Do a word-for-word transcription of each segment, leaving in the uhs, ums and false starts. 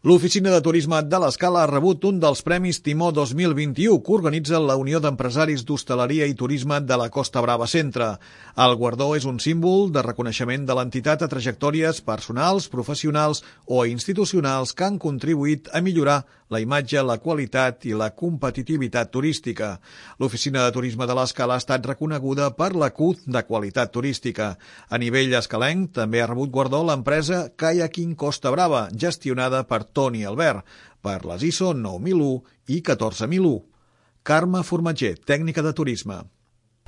L'Oficina de Turisme de l'Escala ha rebut un dels Premis Timó dos mil vint-i-u que organitza la Unió d'Empresaris d'Hostaleria i Turisme de la Costa Brava Centre. El guardó és un símbol de reconeixement de l'entitat a trajectòries personals, professionals o institucionals que han contribuït a millorar la imatge, la qualitat i la competitivitat turística. L'Oficina de Turisme de l'Escala ha estat reconeguda per la Q de qualitat turística. A nivell escalenc també ha rebut guardó l'empresa Kayaking Costa Brava, gestionada per Toni Albert, per les I S O nou mil u i catorze mil u. Carme Formatger, tècnica de turisme.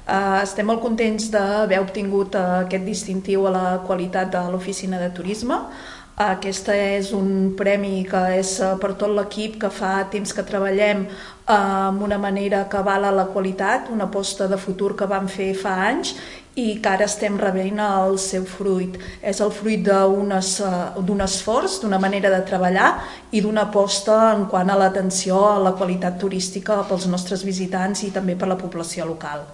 Uh, estem molt contents d'haver obtingut uh, aquest distintiu a la qualitat de l'Oficina de Turisme. Uh, aquest és un premi que és uh, per tot l'equip que fa temps que treballem uh, amb una manera que avala la qualitat, una aposta de futur que vam fer fa anys i que ara estem rebent el seu fruit. És el fruit d'un uh, esforç, d'una manera de treballar i d'una aposta en quant a l'atenció a la qualitat turística pels nostres visitants i també per la població local.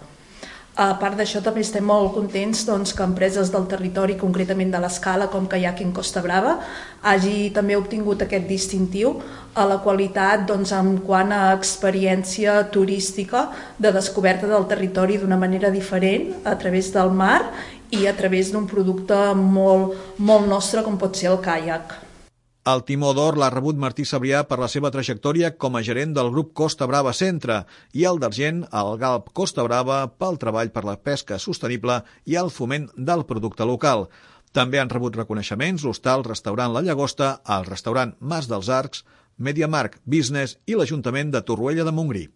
A part d'això, també estem molt contents doncs, que empreses del territori, concretament de l'Escala, com Kayaking Costa Brava, hagi també obtingut aquest distintiu a la qualitat doncs, en quant a experiència turística de descoberta del territori d'una manera diferent, a través del mar i a través d'un producte molt, molt nostre, com pot ser el caiac. El Timó d'Or l'ha rebut Martí Sabrià per la seva trajectòria com a gerent del grup Costa Brava Centre i el d'argent al Galp Costa Brava pel treball per la pesca sostenible i el foment del producte local. També han rebut reconeixements l'Hostal Restaurant La Llagosta, el restaurant Mas dels Arcs, MediaMarkt Business i l'Ajuntament de Torroella de Montgrí.